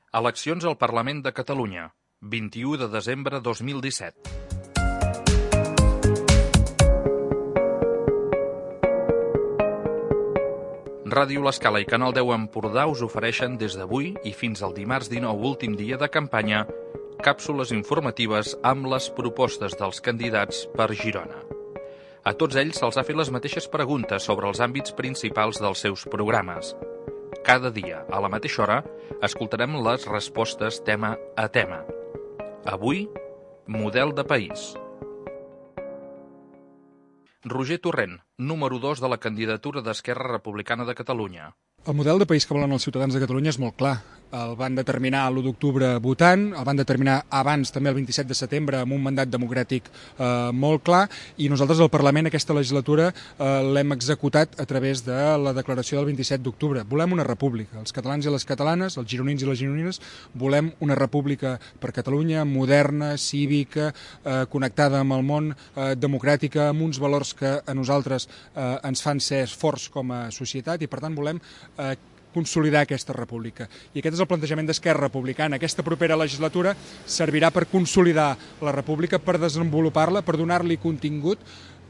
Eleccions al Parlament de Catalunya, 21 de desembre 2017. Ràdio L'Escala i Canal 10 Empordà us ofereixen des d'avui i fins al dimarts 19, últim dia de campanya, càpsules informatives amb les propostes dels candidats per Girona. A tots ells se'ls ha fet les mateixes preguntes sobre els àmbits principals dels seus programes. Cada dia, a la mateixa hora, escoltarem les respostes tema a tema. Avui, model de país. Roger Torrent, número 2 de la candidatura d'Esquerra Republicana de Catalunya. El model de país que volen els ciutadans de Catalunya és molt clar. El van determinar l'1 d'octubre votant, el van determinar abans també el 27 de setembre amb un mandat democràtic molt clar, i nosaltres al Parlament aquesta legislatura l'hem executat a través de la declaració del 27 d'octubre. Volem una república. Els catalans i les catalanes, els gironins i les gironines, volem una república per Catalunya, moderna, cívica, connectada amb el món, democràtica, amb uns valors que a nosaltres ens fan ser forts com a societat, i per tant volem consolidar aquesta república. I aquest és el plantejament d'Esquerra Republicana. Aquesta propera legislatura servirà per consolidar la república, per desenvolupar-la, per donar-li contingut,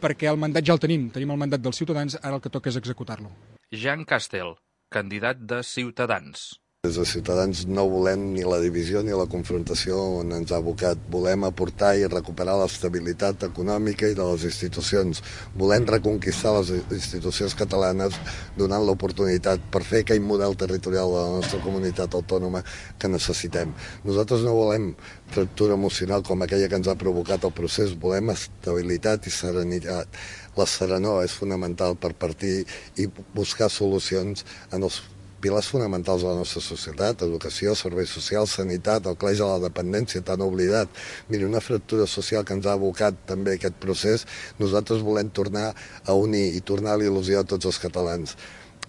perquè el mandat ja el tenim el mandat dels ciutadans, ara el que toca és executar-lo. Jean Castel, candidat de Ciutadans. Des de Ciutadans no volem ni la divisió ni la confrontació on ens ha abocat. Volem aportar i recuperar l'estabilitat econòmica i de les institucions. Volem reconquistar les institucions catalanes donant l'oportunitat per fer aquell model territorial de la nostra comunitat autònoma que necessitem. Nosaltres no volem fractura emocional com aquella que ens ha provocat el procés. Volem estabilitat i serenitat. La serenor és fonamental per partir i buscar solucions en els pilars fonamentals de la nostra societat: educació, serveis socials, sanitat, el cleix de la dependència tan oblidat. Miri, una fractura social que ens ha abocat també aquest procés, nosaltres volem tornar a unir i tornar a il·lusió a tots els catalans.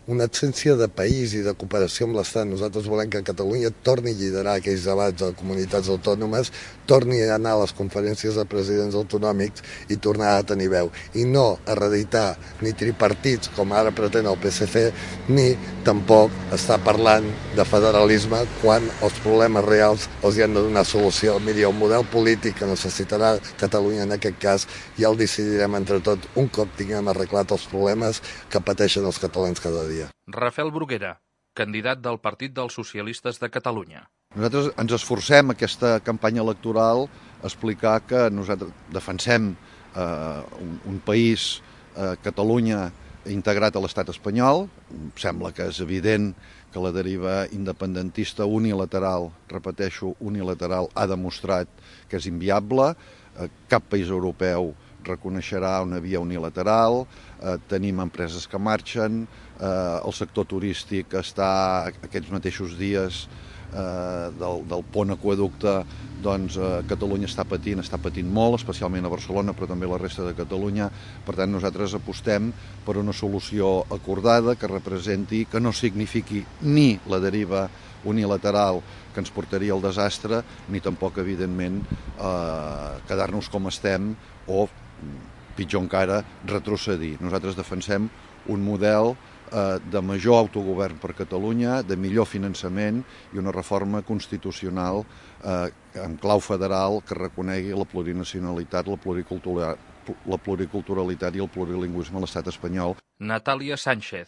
Una absència de país i de cooperació amb l'Estat. Nosaltres volem que Catalunya torni a liderar aquells debats de comunitats autònomes, torni a anar a les conferències de presidents autonòmics i tornar a tenir veu. I no a reeditar ni tripartits, com ara pretén el PSC, ni tampoc estar parlant de federalisme quan els problemes reals els hi han de donar solució. Miri, el model polític que necessitarà Catalunya en aquest cas ja el decidirem entre tots un cop tinguem arreglat els problemes que pateixen els catalans cada dia. Rafael Bruguera, candidat del Partit dels Socialistes de Catalunya. Nosaltres ens esforcem aquesta campanya electoral a explicar que nosaltres defensem un país, Catalunya, integrat a l'estat espanyol. Sembla que és evident que la deriva independentista unilateral, repeteixo, unilateral, ha demostrat que és inviable. Cap país europeu reconeixerà una via unilateral, tenim empreses que marxen, el sector turístic està aquests mateixos dies del pont aqüeducte, doncs Catalunya està patint molt, especialment a Barcelona, però també a la resta de Catalunya. Per tant, nosaltres apostem per una solució acordada que representi, que no signifiqui ni la deriva unilateral que ens portaria al desastre, ni tampoc, evidentment, quedar-nos com estem o, pitjor encara, retrocedir. Nosaltres defensem un model de major autogovern per Catalunya, de millor finançament i una reforma constitucional en clau federal que reconegui la plurinacionalitat, la pluriculturalitat i el plurilingüisme a l'estat espanyol. Natàlia Sánchez,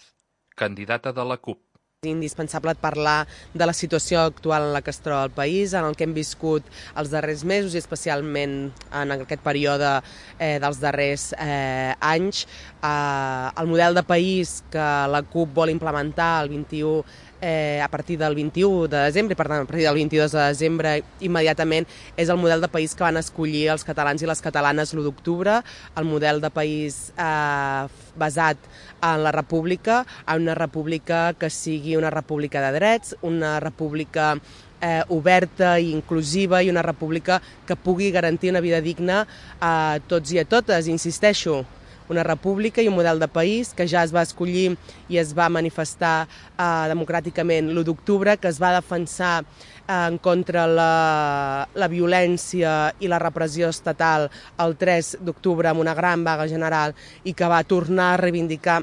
candidata de la CUP. És indispensable parlar de la situació actual en la que es troba el país, en el que hem viscut els darrers mesos i especialment en aquest període dels darrers anys. El model de país que la CUP vol implementar el 21 a partir del 21 de desembre, per tant, a partir del 22 de desembre immediatament, és el model de país que van escollir els catalans i les catalanes l'1 d'octubre, el model de país basat en la república, en una república que sigui una república de drets, una república oberta i inclusiva i una república que pugui garantir una vida digna a tots i a totes, insisteixo. Una república i un model de país que ja es va escollir i es va manifestar democràticament l'1 d'octubre, que es va defensar en contra la violència i la repressió estatal el 3 d'octubre amb una gran vaga general i que va tornar a reivindicar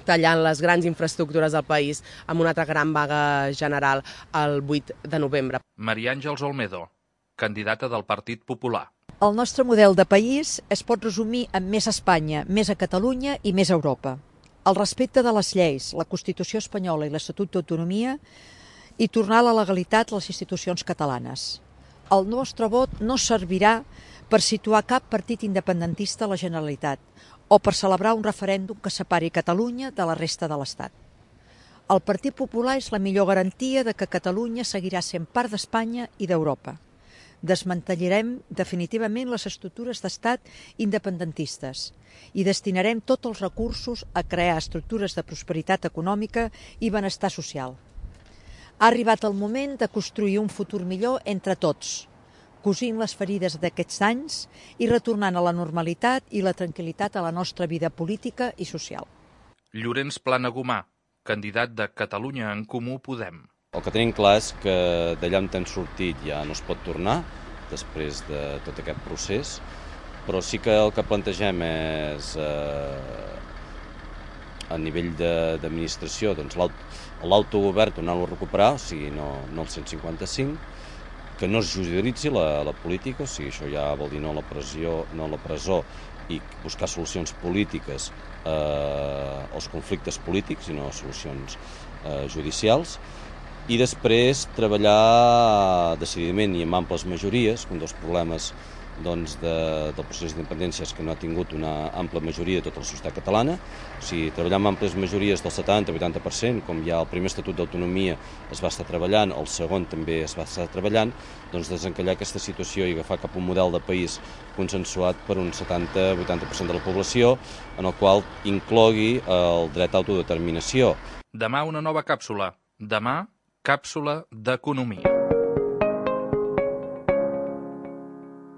tallant les grans infraestructures del país amb una altra gran vaga general el 8 de novembre. Maria Àngels Olmedo, candidata del Partit Popular. El nostre model de país es pot resumir en més Espanya, més a Catalunya i més Europa. El respecte de les lleis, la Constitució espanyola i l'Estatut d'autonomia i tornar a la legalitat a les institucions catalanes. El nostre vot no servirà per situar cap partit independentista a la Generalitat o per celebrar un referèndum que separi Catalunya de la resta de l'Estat. El Partit Popular és la millor garantia de que Catalunya seguirà sent part d'Espanya i d'Europa. Desmantellarem definitivament les estructures d'estat independentistes i destinarem tots els recursos a crear estructures de prosperitat econòmica i benestar social. Ha arribat el moment de construir un futur millor entre tots, cosint les ferides d'aquests anys i retornant a la normalitat i la tranquil·litat a la nostra vida política i social. Llorenç Planagumà, candidat de Catalunya en Comú Podem. El que tenim clar és que d'allà on hem sortit ja no es pot tornar després de tot aquest procés, però sí que el que plantegem és a nivell d'administració l'autogovern tornar-lo a recuperar, o sigui, no el 155, que no es judicialitzi la política, o sigui, això ja vol dir no la presó i buscar solucions polítiques als conflictes polítics i no solucions judicials. I després treballar decididament i amb amples majories, un dels problemes del procés d'independència és que no ha tingut una ampla majoria de tota la societat catalana, o sigui, treballar amb amples majories del 70-80%, com ja el primer Estatut d'Autonomia es va estar treballant, el segon també es va estar treballant, doncs desencallar aquesta situació i agafar cap a un model de país consensuat per un 70-80% de la població, en el qual inclogui el dret a autodeterminació. Demà una nova càpsula. Demà, càpsula d'economia.